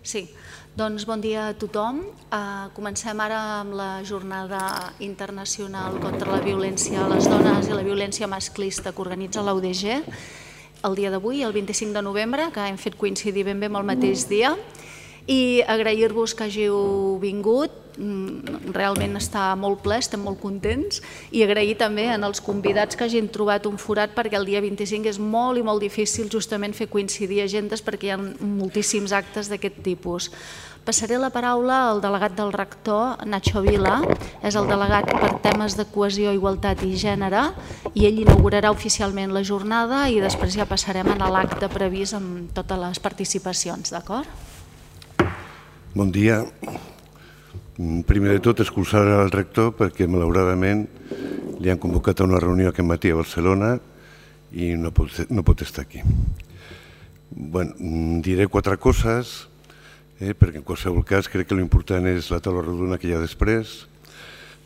Sí, doncs bon dia a tothom. Comencem ara amb la Jornada Internacional contra la Violència a les Dones i la Violència Masclista que organitza l'UDG el dia d'avui, el 25 de novembre, que hem fet coincidir ben bé amb el mateix dia. I agrair-vos que hàgiu vingut, realment està molt ple, estem molt contents, i agrair també als convidats que hagin trobat un forat perquè el dia 25 és molt i molt difícil justament fer coincidir agendes perquè hi ha moltíssims actes d'aquest tipus. Passaré la paraula al delegat del rector, Nacho Vila, és el delegat per temes de cohesió, igualtat i gènere, i ell inaugurarà oficialment la jornada i després ja passarem a l'acte previst amb totes les participacions, d'acord? Bon dia. Primer de tot, excusar al rector perquè, malauradament, li han convocat a una reunió aquest matí a Barcelona i no pot estar aquí. Diré 4 coses, perquè en qualsevol cas crec que l'important és la taula rodona que hi ha després,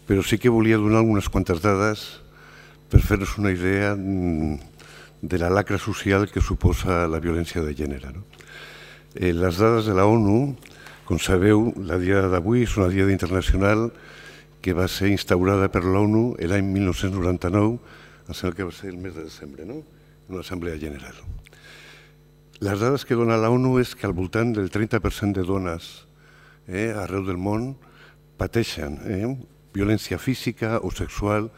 però sí que volia donar algunes quantes dades per fer-nos una idea de la lacra social que suposa la violència de gènere. Les dades de la ONU, com sabeu, la dia d'avui és una diada internacional que va ser instaurada per l'ONU l'any 1999, em sembla que va ser el mes de desembre, en una assemblea general. Les dades que dona l'ONU és que al voltant del 30% de dones arreu del món pateixen violència física o sexual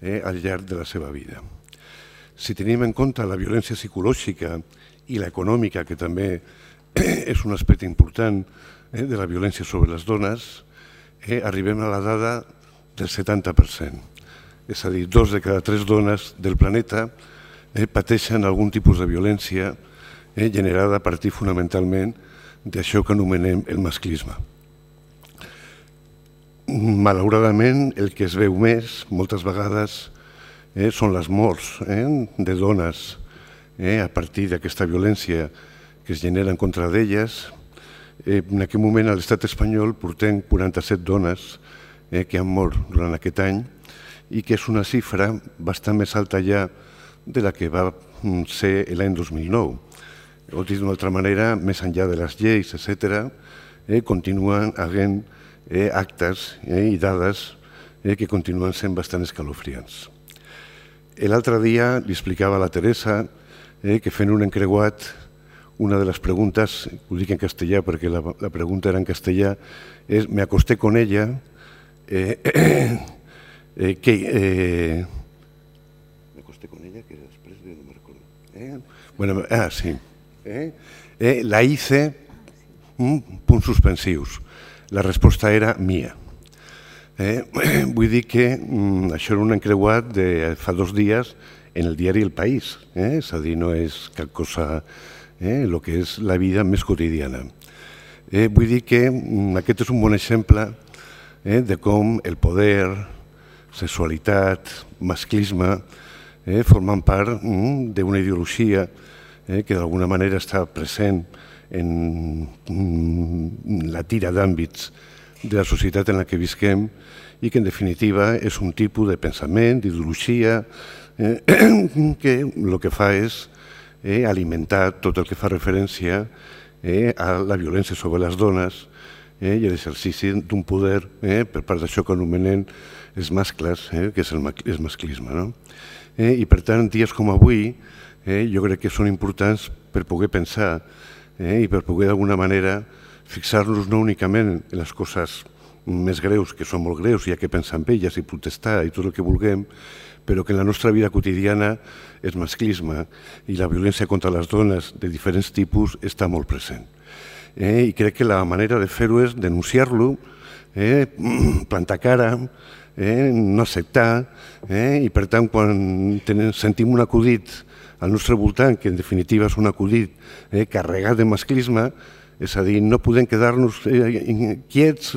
al llarg de la seva vida. Si tenim en compte la violència psicològica i l'econòmica, que també és un aspecte important de la violència sobre les dones, arribem a la dada del 70%. És a dir, 2 de cada 3 dones del planeta pateixen algun tipus de violència generada a partir fonamentalment d'això que anomenem el masclisme. Malauradament, el que es veu més, moltes vegades, són les morts de dones a partir d'aquesta violència que es genera en contra d'elles. En aquest moment a l'estat espanyol portem 47 dones que han mort durant aquest any i que és una xifra bastant més alta ja de la que va ser l'any 2009. O dit d'una altra manera, més enllà de les lleis, etc., continuen havent actes i dades que continuen sent bastant escalofriants. L'altre dia li explicava a la Teresa que fent un encreuat, una de les preguntes, ho dic en castellà perquè la pregunta era en castellà, és me acosté con ella, me acosté con ella, que després no me recordo. Sí. La hice, punts suspensius. La resposta era mia. Vull dir que això era un encreuat de fa 2 dies en el diari El País, és a dir, no és cap cosa el que és la vida més quotidiana. Vull dir que aquest és un bon exemple de com el poder, sexualitat, masclisme formen part d'una ideologia que d'alguna manera està present en la tira d'àmbits de la societat en la que visquem i que en definitiva és un tipus de pensament, d'ideologia que el que fa és alimentar tot el que fa referència a la violència sobre les dones i l'exercici d'un poder per part d'això que anomenem els mascles, que és el masclisme. I per tant, dies com avui jo crec que són importants per poder pensar i per poder d'alguna manera fixar-nos no únicament en les coses més greus, que són molt greus i hi ha que pensar en elles i protestar i tot el que vulguem, però que en la nostra vida quotidiana el masclisme i la violència contra les dones de diferents tipus està molt present. I crec que la manera de fer-ho és denunciar-lo, plantar cara, no acceptar, i per tant quan sentim un acudit al nostre voltant, que en definitiva és un acudit carregat de masclisme, és a dir, no podem quedar-nos quiets,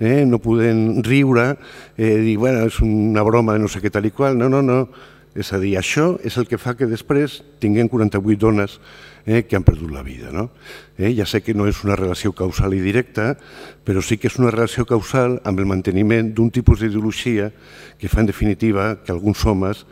no podem riure, dir, bueno, és una broma de no sé què tal i qual, no. És a dir, això és el que fa que després tinguem 48 dones que han perdut la vida. Ja sé que no és una relació causal i directa, però sí que és una relació causal amb el manteniment d'un tipus d'ideologia que fa, en definitiva, que alguns homes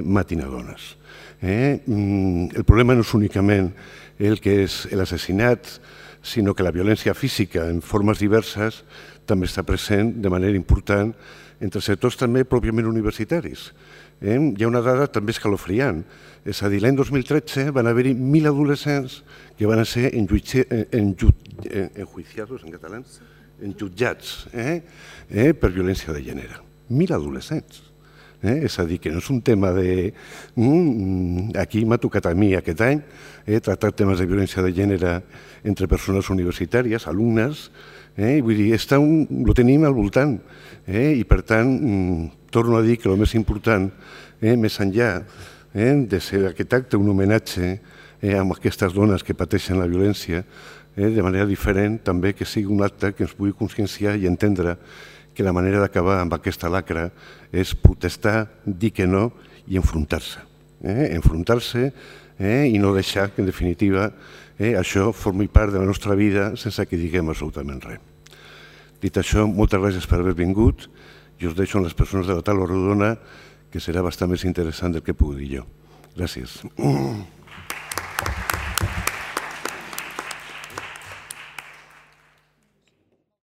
matin a dones. El problema no és únicament el que és l'assassinat sinó que la violència física en formes diverses també està present de manera important entre sectors també pròpiament universitaris. Hi ha una dada també escalofriant, és a dir, l'any 2013 van haver-hi 1.000 adolescents que van ser enjuiciados en català, enjutjats per violència de gènere. 1.000 adolescents. És a dir, que no és un tema de... Aquí m'ha tocat a mi aquest any tractar temes de violència de gènere entre persones universitàries, alumnes, vull dir, ho tenim al voltant i per tant torno a dir que el més important, més enllà de ser aquest acte un homenatge a aquestes dones que pateixen la violència de manera diferent, també que sigui un acte que ens pugui conscienciar i entendre que la manera d'acabar amb aquesta lacra és protestar, dir que no i enfrontar-se. Enfrontar-se i no deixar que, en definitiva, això formi part de la nostra vida sense que diguem absolutament res. Dit això, moltes gràcies per haver vingut i us deixo amb les persones de la taula rodona, que serà bastant més interessant del que puc dir jo. Gràcies.